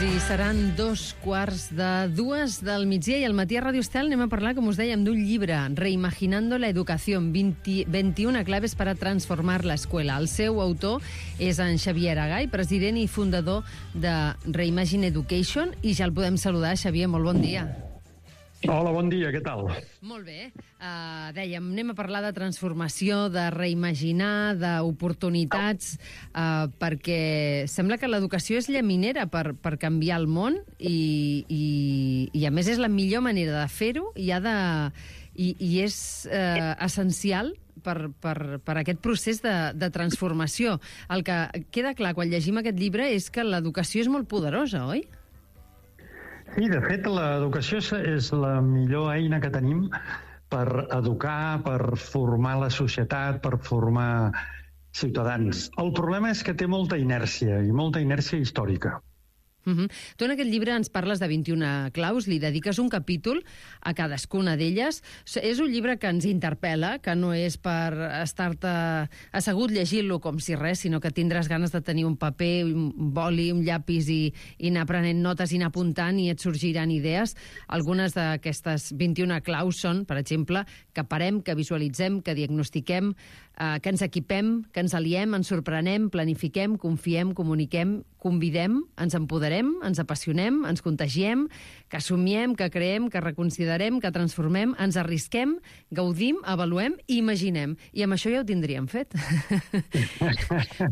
I seran 2:15 del migdia i al matí a Radio Estel anem a parlar, com us dèiem, d'un llibre, Reimaginando la educación, 21 claves para transformar la escuela. El seu autor és en Xavier Agai, president i fundador de Reimagine Education, i ja el podem saludar. Xavier, molt bon dia. Hola, bon dia, què tal? Molt bé. Dèiem, anem a parlar de transformació, de reimaginar, d'oportunitats, perquè sembla que l'educació és llaminera per canviar el món i a més és la millor manera de fer-ho i és essencial per aquest procés de transformació. El que queda clar quan llegim aquest llibre és que l'educació és molt poderosa, oi? Sí, de fet, l'educació és la millor eina que tenim per educar, per formar la societat, per formar ciutadans. El problema és que té molta inèrcia, i molta inèrcia històrica. Tu en aquest llibre ens parles de 21 claus, li dediques un capítol a cadascuna d'elles. És un llibre que ens interpel·la, que no és per estar-te assegut llegint-lo com si res, sinó que tindràs ganes de tenir un paper, un boli, un llapis i anar prenent notes i anar apuntant i et sorgiran idees. Algunes d'aquestes 21 claus són, per exemple, que parem, que visualitzem, que diagnostiquem, que ens equipem, que ens aliem, ens sorprenem, planifiquem, confiem, comuniquem, convidem, ens empoderem, ens apassionem, ens contagiem, que assumiem, que creem, que reconsiderem, que transformem, ens arrisquem, gaudim, avaluem i imaginem. I amb això ja ho tindríem fet.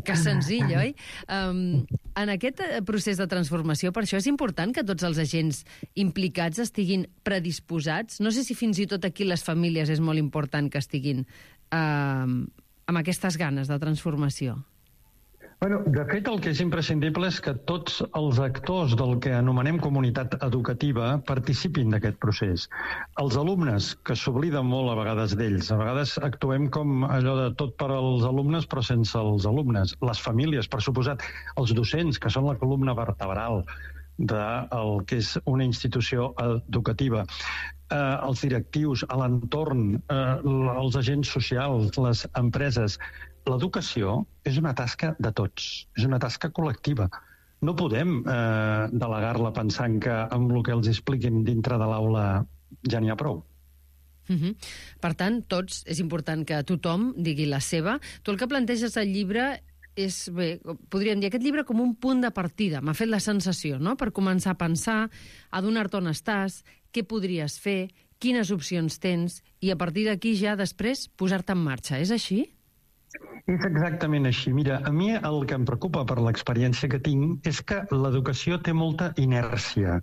Que senzill, oi? En aquest procés de transformació, per això és important que tots els agents implicats estiguin predisposats. No sé si fins i tot aquí les famílies és molt important que estiguin amb aquestes ganes de transformació. Bueno, de fet, el que és imprescindible és que tots els actors del que anomenem comunitat educativa participin d'aquest procés. Els alumnes, que s'obliden molt a vegades d'ells. A vegades actuem com allò de tot per als alumnes però sense els alumnes. Les famílies, per suposat, els docents, que són la columna vertebral del que és una institució educativa, els directius, l'entorn, els agents socials, les empreses. L'educació és una tasca de tots, és una tasca col·lectiva. No podem delegar-la pensant que amb el que els expliquin dintre de l'aula ja n'hi ha prou. Per tant, tots, és important que tothom digui la seva. Tu el que planteges al llibre és, bé, podríem dir aquest llibre com un punt de partida, m'ha fet la sensació, no?, per començar a pensar, adonar-te on estàs, què podries fer, quines opcions tens, i a partir d'aquí ja després posar-te en marxa. És així? És exactament així. Mira, a mi el que em preocupa per l'experiència que tinc és que l'educació té molta inèrcia.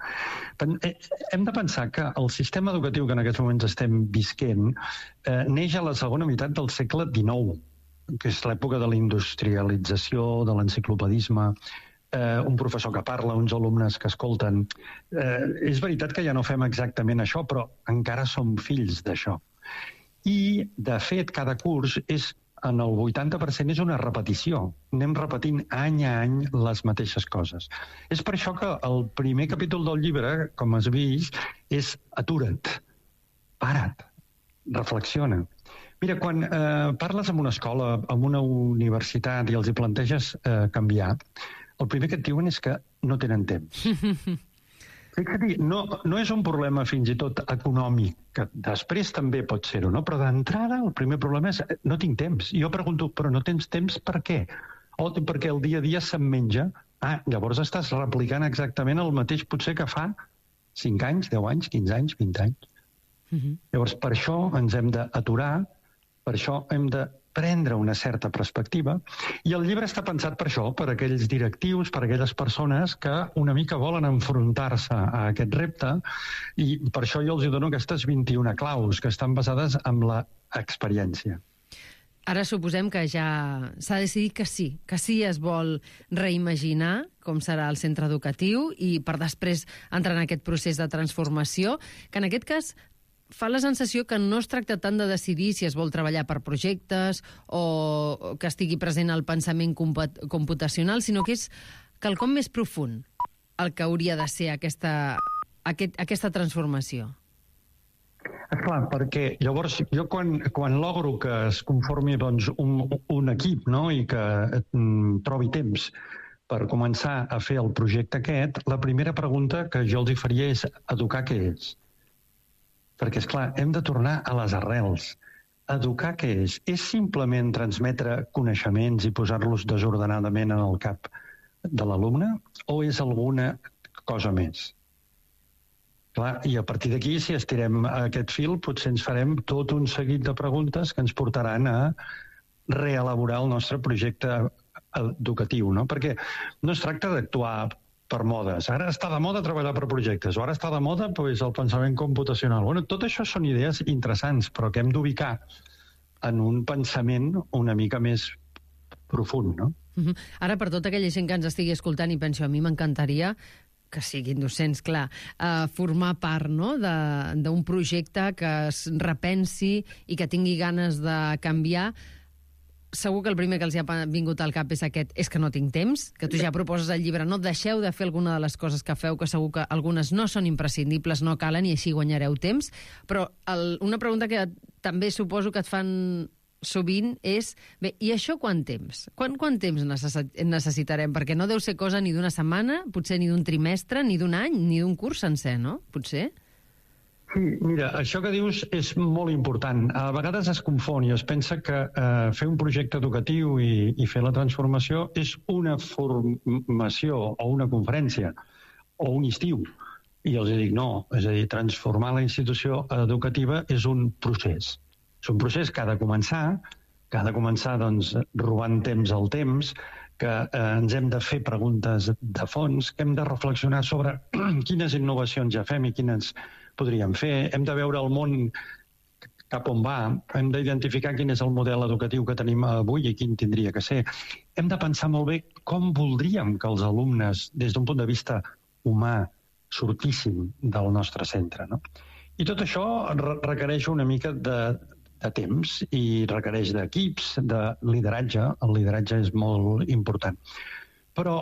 Hem de pensar que el sistema educatiu que en aquests moments estem visquent neix a la segona meitat del segle XIX, que és l'època de la industrialització, de l'enciclopedisme, un professor que parla, uns alumnes que escolten. És veritat que ja no fem exactament això, però encara som fills d'això. I, de fet, cada curs en el 80% és una repetició. Anem repetint any a any les mateixes coses. És per això que el primer capítol del llibre, com has vist, és atura't, para't, reflexiona. Mira, quan parles amb una escola, amb una universitat i els hi planteges canviar, el primer que et diuen és que no tenen temps. Fixa't, no és un problema fins i tot econòmic, que després també pot ser-ho, no? Però d'entrada el primer problema és no tinc temps. Jo pregunto, però no tens temps per què? O perquè el dia a dia se'm menja? Llavors estàs replicant exactament el mateix potser que fa 5 anys, 10 anys, 15 anys, 20 anys. Llavors, per això ens hem d'aturar, per això hem de prendre una certa perspectiva, i el llibre està pensat per això, per aquells directius, per aquelles persones que una mica volen enfrontar-se a aquest repte, i per això jo els dono aquestes 21 claus que estan basades en l'experiència. Ara suposem que ja s'ha decidit que sí es vol reimaginar com serà el centre educatiu i per després entrar en aquest procés de transformació, que en aquest cas fa la sensació que no es tracta tant de decidir si es vol treballar per projectes o que estigui present el pensament computacional, sinó que és quelcom més profund el que hauria de ser aquesta transformació. Esclar, perquè llavors jo quan logro que es conformi doncs, un equip, no? I que trobi temps per començar a fer el projecte aquest, la primera pregunta que jo els faria és educar què és. Perquè, esclar, hem de tornar a les arrels. Educar què és? És simplement transmetre coneixements i posar-los desordenadament en el cap de l'alumne o és alguna cosa més? Clar, i a partir d'aquí, si estirem aquest fil, potser ens farem tot un seguit de preguntes que ens portaran a reelaborar el nostre projecte educatiu, no? Perquè no es tracta d'actuar per modes. Ara està de moda treballar per projectes, o ara està de moda pues, el pensament computacional. Bueno, tot això són idees interessants, però que hem d'ubicar en un pensament una mica més profund, no? Ara, per tota aquella gent que ens estigui escoltant i penso, a mi m'encantaria que siguin docents, clar, formar part, no?, d'un projecte que es repensi i que tingui ganes de canviar. Segur que el primer que els ha vingut al cap és és que no tinc temps, que tu ja proposes al llibre, no deixeu de fer alguna de les coses que feu, que segur que algunes no són imprescindibles, no calen i així guanyareu temps. Però una pregunta que també suposo que et fan sovint és, bé, i això quant temps? Quant temps necessitarem? Perquè no deu ser cosa ni d'una setmana, potser ni d'un trimestre, ni d'un any, ni d'un curs sencer, no? Potser? Sí, mira, això que dius és molt important. A vegades es confon i es pensa que fer un projecte educatiu i fer la transformació és una formació o una conferència o un estiu. I els dic no, és a dir, transformar la institució educativa és un procés. És un procés que ha de començar doncs, robant temps al temps, que ens hem de fer preguntes de fons, que hem de reflexionar sobre quines innovacions ja fem i quines podríem fer, hem de veure el món cap on va, hem d'identificar quin és el model educatiu que tenim avui i quin tindria que ser. Hem de pensar molt bé com voldríem que els alumnes, des d'un punt de vista humà, sortissin del nostre centre, no? I tot això requereix una mica de temps i requereix d'equips, de lideratge. El lideratge és molt important. Però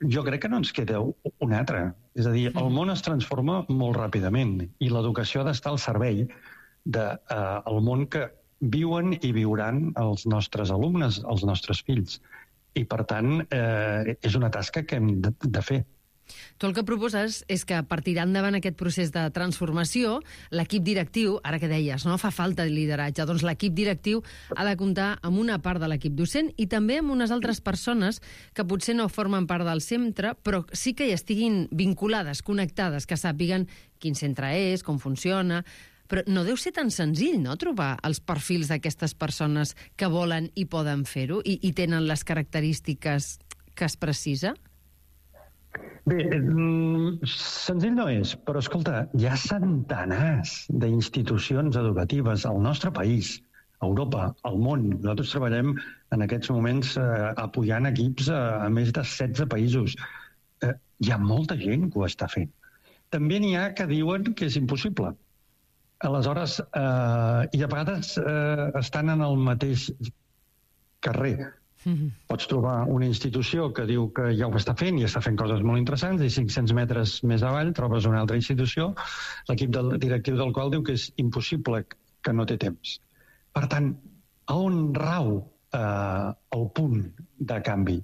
jo crec que no ens queda un altre. És a dir, el món es transforma molt ràpidament i l'educació ha d'estar al servei del món que viuen i viuran els nostres alumnes, els nostres fills. I, per tant, és una tasca que hem de fer. Tu el que proposes és que per tirar endavant aquest procés de transformació, l'equip directiu, ara que deies, no fa falta de lideratge, doncs l'equip directiu ha de comptar amb una part de l'equip docent i també amb unes altres persones que potser no formen part del centre, però sí que hi estiguin vinculades, connectades, que sàpiguen quin centre és, com funciona. Però no deu ser tan senzill, no?, trobar els perfils d'aquestes persones que volen i poden fer-ho i tenen les característiques que es precisa? Bé, senzill no és, però escolta, hi ha centenars d'institucions educatives al nostre país, a Europa, al món. Nosaltres treballem en aquests moments apoyant equips a més de 16 països. Hi ha molta gent que ho està fent. També n'hi ha que diuen que és impossible. Aleshores, i a vegades estan en el mateix carrer. Pots trobar una institució que diu que ja ho està fent i està fent coses molt interessants i 500 metres més avall trobes una altra institució, l'equip directiu del qual diu que és impossible, que no té temps. Per tant, on rau el punt de canvi?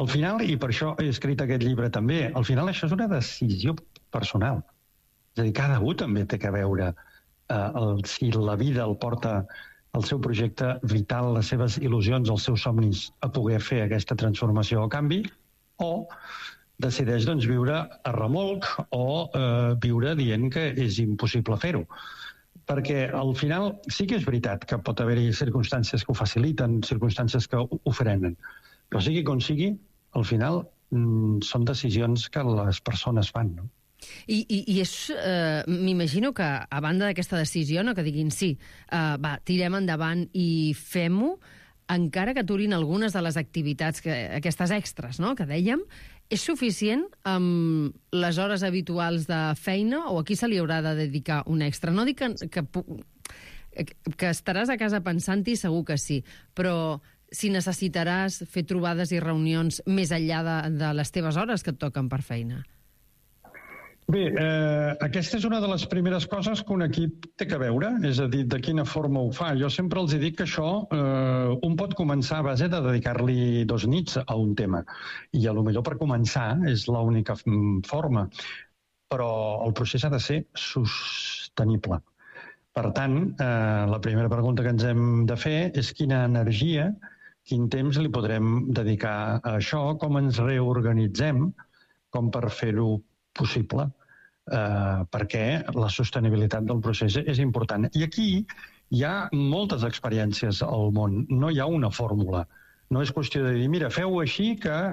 Al final, i per això he escrit aquest llibre també, al final això és una decisió personal. És a dir, cada un també té que veure si la vida el porta el seu projecte vital, les seves il·lusions, els seus somnis a poder fer aquesta transformació o canvi, o decideix viure a remolc o viure dient que és impossible fer-ho. perquè al final sí que és veritat que pot haver-hi circumstàncies que ho faciliten, circumstàncies que ho frenen, però sigui com sigui, al final són decisions que les persones fan, no? I m'imagino que, a banda d'aquesta decisió, no, que diguin sí, tirem endavant i fem-ho, encara que aturin algunes de les activitats, aquestes extres, no?, que dèiem, és suficient amb les hores habituals de feina o aquí se li haurà de dedicar un extra? No dic que estaràs a casa pensant-hi, segur que sí, però si necessitaràs fer trobades i reunions més enllà de les teves hores que et toquen per feina. Bé, aquesta és una de les primeres coses que un equip té que veure, és a dir, de quina forma ho fa. Jo sempre els dic que això un pot començar a base de dedicar-li 2 nits a un tema. I a lo millor per començar és l'única forma, però el procés ha de ser sostenible. Per tant, la primera pregunta que ens hem de fer és quina energia, quin temps li podrem dedicar a això, com ens reorganitzem, com per fer-ho possible, perquè la sostenibilitat del procés és important. I aquí hi ha moltes experiències al món, no hi ha una fórmula. No és qüestió de dir, mira, feu-ho així,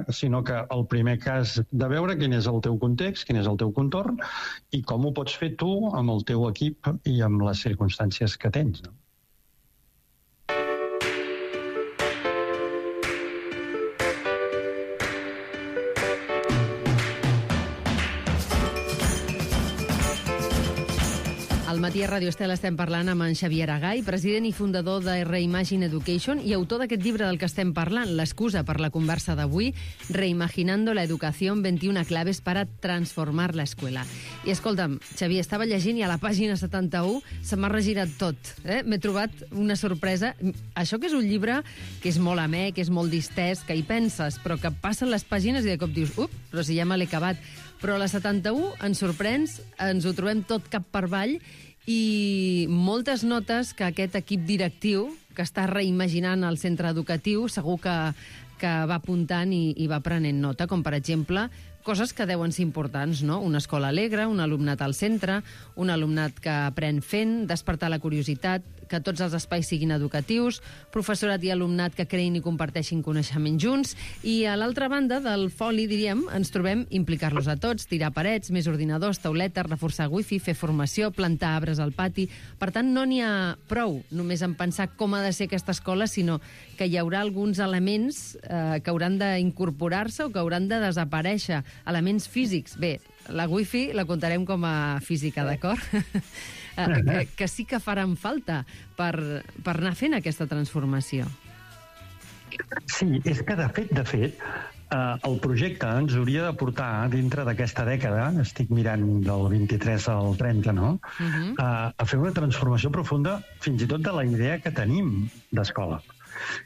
sinó que el primer cas de veure quin és el teu context, quin és el teu contorn i com ho pots fer tu amb el teu equip i amb les circumstàncies que tens, no? Al matí a Radio Estel estem parlant amb en Xavier Agai, president i fundador de Reimagine Education i autor d'aquest llibre del que estem parlant, l'excusa per la conversa d'avui, Reimaginando la educación, 21 claves para transformar la escuela. I escolta'm, Xavier, estava llegint i a la pàgina 71 se m'ha regirat tot. M'he trobat una sorpresa. Això que és un llibre que és molt amè, que és molt distès, que hi penses, però que passen les pàgines i de cop dius, però si ja me l'he acabat. Però a la 71 ens sorprens, ens ho trobem tot cap per avall i moltes notes que aquest equip directiu que està reimaginant el centre educatiu segur que va apuntant i va prenent nota, com per exemple coses que deuen ser importants, no? Una escola alegre, un alumnat al centre, un alumnat que aprèn fent, despertar la curiositat, que tots els espais siguin educatius, professorat i alumnat que creïn i comparteixin coneixement junts, i a l'altra banda del foli, diríem, ens trobem implicar-los a tots, tirar parets, més ordinadors, tauletes, reforçar wifi, fer formació, plantar arbres al pati. Per tant, no n'hi ha prou només en pensar com ha de ser aquesta escola, sinó que hi haurà alguns elements que hauran d'incorporar-se o que hauran de desaparèixer, elements físics. Bé, la wifi la comptarem com a física, d'acord? Que sí que faran falta per anar fent aquesta transformació. Sí, és que de fet, el projecte ens hauria de portar dintre d'aquesta dècada, estic mirant del 23 al 30, no? A fer una transformació profunda fins i tot de la idea que tenim d'escola.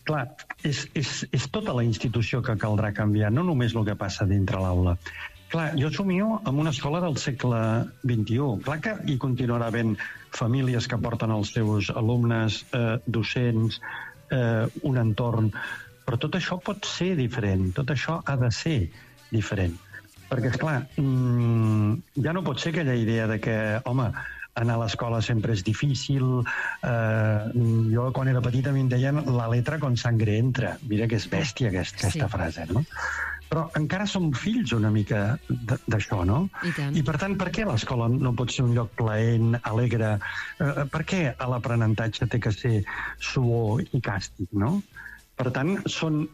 Clar, és tota la institució que caldrà canviar, no només el que passa dintre l'aula. Clar, jo somio amb una escola del segle XXI. Clar que hi continuarà havent famílies que porten els seus alumnes, docents, un entorn, però tot això pot ser diferent, tot això ha de ser diferent. Perquè, esclar, ja no pot ser aquella idea de que, home, anar a l'escola sempre és difícil. Jo, quan era petita, a mi em deien la letra con sangre entra. Mira que és bèstia aquesta frase, no? Però encara som fills una mica d'això, no? I per tant, per què l'escola no pot ser un lloc plaent, alegre? Per què l'aprenentatge té que ser suor i càstig, no? Per tant, són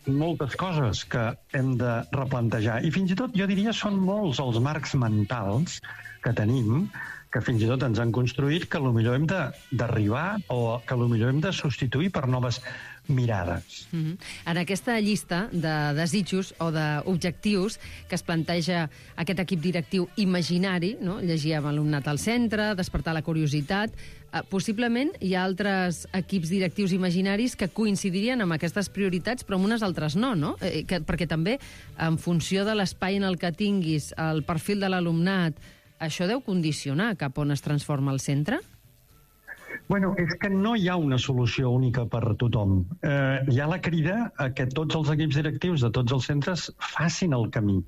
moltes coses que hem de replantejar. I fins i tot, jo diria, són molts els marcs mentals que tenim, que fins i tot ens han construït, que potser hem d'arribar o que potser hem de substituir per noves mirades. En aquesta llista de desitjos o d'objectius que es planteja aquest equip directiu imaginari, no? Llegíem alumnat al centre, despertar la curiositat, possiblement hi ha altres equips directius imaginaris que coincidirien amb aquestes prioritats, però amb unes altres no? Perquè també, en funció de l'espai en el que tinguis, el perfil de l'alumnat, això deu condicionar cap on es transforma el centre? Bueno, és que no hi ha una solució única per tothom. Hi ha la crida a que tots els equips directius de tots els centres facin el camí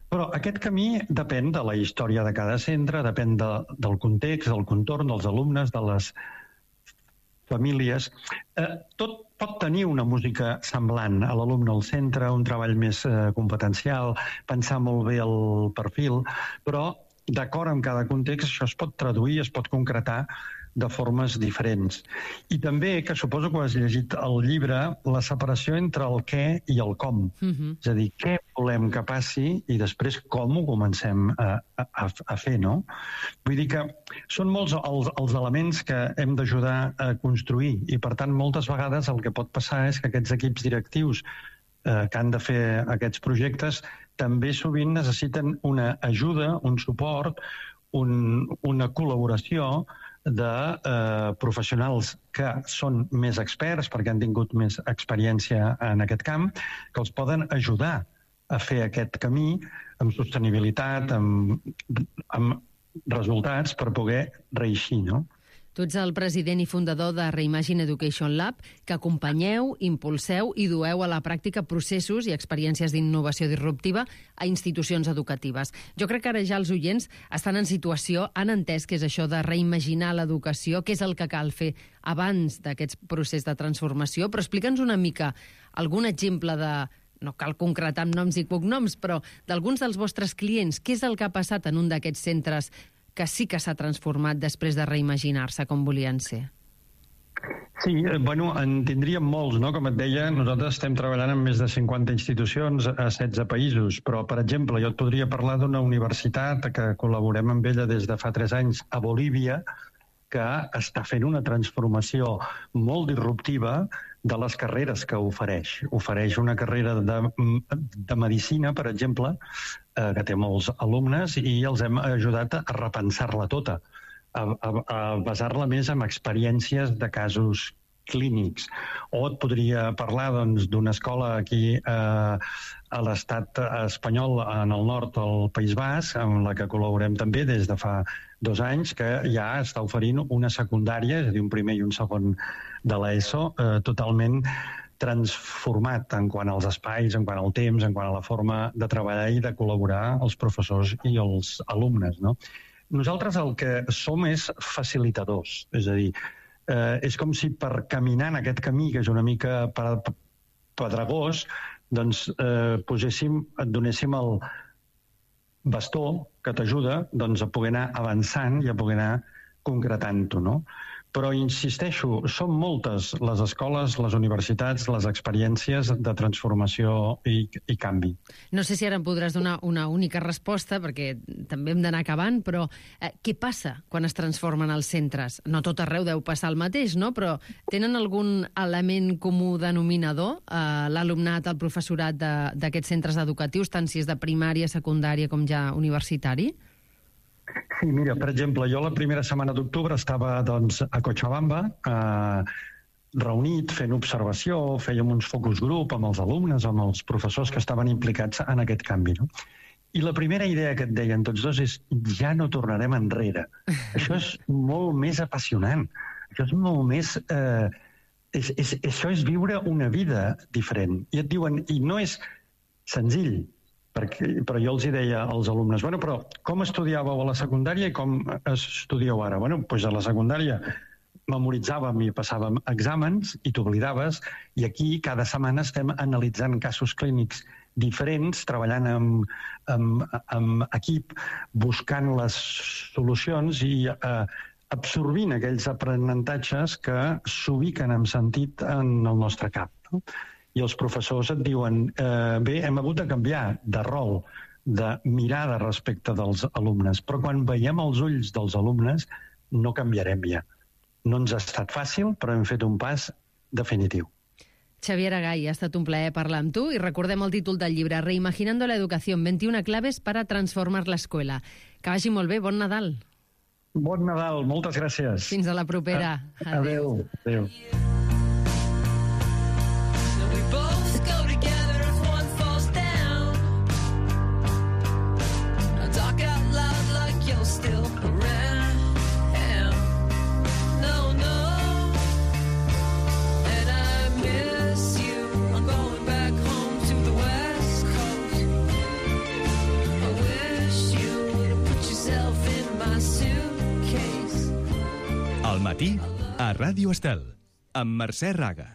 Però aquest camí depèn de la història de cada centre, depèn del context, del contorn, dels alumnes, de les famílies. Tot pot tenir una música semblant a l'alumne al centre, un treball més competencial, pensar molt bé el perfil, però d'acord amb cada context això es pot traduir, es pot concretar de formes diferents. I també, que suposo que has llegit el llibre, la separació entre el què i el com. És a dir, què volem que passi i després com ho comencem a fer, no? Vull dir que són molts els elements que hem d'ajudar a construir i, per tant, moltes vegades el que pot passar és que aquests equips directius que han de fer aquests projectes també sovint necessiten una ajuda, un suport, una col·laboració de professionals que són més experts perquè han tingut més experiència en aquest camp, que els poden ajudar a fer aquest camí amb sostenibilitat, amb resultats per poder reeixir, no? Tu ets el president i fundador de Reimagine Education Lab, que acompanyeu, impulseu i dueu a la pràctica processos i experiències d'innovació disruptiva a institucions educatives. Jo crec que ara ja els oients estan en situació, han entès què és això de reimaginar l'educació, què és el que cal fer abans d'aquest procés de transformació, però explica'ns una mica algun exemple de... No cal concretar amb noms i cognoms, però d'alguns dels vostres clients, què és el que ha passat en un d'aquests centres que sí que s'ha transformat després de reimaginar-se com volien ser? Sí, bueno, en tindríem molts, no? Com et deia, nosaltres estem treballant en més de 50 institucions a 16 països, però, per exemple, jo et podria parlar d'una universitat que col·laborem amb ella des de fa 3 anys a Bolívia, que està fent una transformació molt disruptiva de les carreres que ofereix. Ofereix una carrera de medicina, per exemple, que té molts alumnes, i els hem ajudat a repensar-la tota, a basar-la més en experiències de casos clínics. O et podria parlar d'una escola aquí a l'estat espanyol, en el nord del País Basc, amb la que col·laborem també des de fa 2 anys, que ja està oferint una secundària, és a dir, un primer i un segon de l'ESO, totalment transformat en quant als espais, en quant al temps, en quant a la forma de treballar i de col·laborar els professors i els alumnes, no? Nosaltres el que som és facilitadors, és a dir, és com si per caminar en aquest camí, que és una mica pedregós, doncs et donéssim el bastó que t'ajuda a poder anar avançant i a poder anar concretant-ho, no? Però, insisteixo, són moltes les escoles, les universitats, les experiències de transformació i canvi. No sé si ara em podràs donar una única resposta, perquè també hem d'anar acabant, però què passa quan es transformen els centres? No tot arreu deu passar el mateix, no? Però tenen algun element comú denominador, l'alumnat, el professorat d'aquests centres educatius, tant si és de primària, secundària com ja universitari? Sí, mira, per exemple, jo la primera setmana d'octubre estava a Cochabamba, reunit, fent observació, fèiem uns focus group amb els alumnes, amb els professors que estaven implicats en aquest canvi, no? I la primera idea que et deien tots dos és ja no tornarem enrere. Això és molt més apassionant. Això és molt més... Això és viure una vida diferent. I et diuen, i no és senzill, però jo els hi deia als alumnes, bueno, però com estudiàveu a la secundària i com estudieu ara? Bueno, doncs a la secundària memoritzàvem i passàvem exàmens i t'oblidaves, i aquí cada setmana estem analitzant casos clínics diferents, treballant amb equip, buscant les solucions i absorbint aquells aprenentatges que s'ubiquen amb sentit en el nostre cap, no? I els professors et diuen, bé, hem hagut de canviar de rol, de mirada respecte dels alumnes, però quan veiem els ulls dels alumnes no canviarem ja. No ens ha estat fàcil, però hem fet un pas definitiu. Xavier Agay, ha estat un plaer parlar amb tu i recordem el títol del llibre, Reimaginando la educación, 21 claves para transformar la escuela. Que vagi molt bé, bon Nadal. Bon Nadal, moltes gràcies. Fins a la propera. Adéu. Adéu. Aquí, a Ràdio Estel, amb Mercè Raga.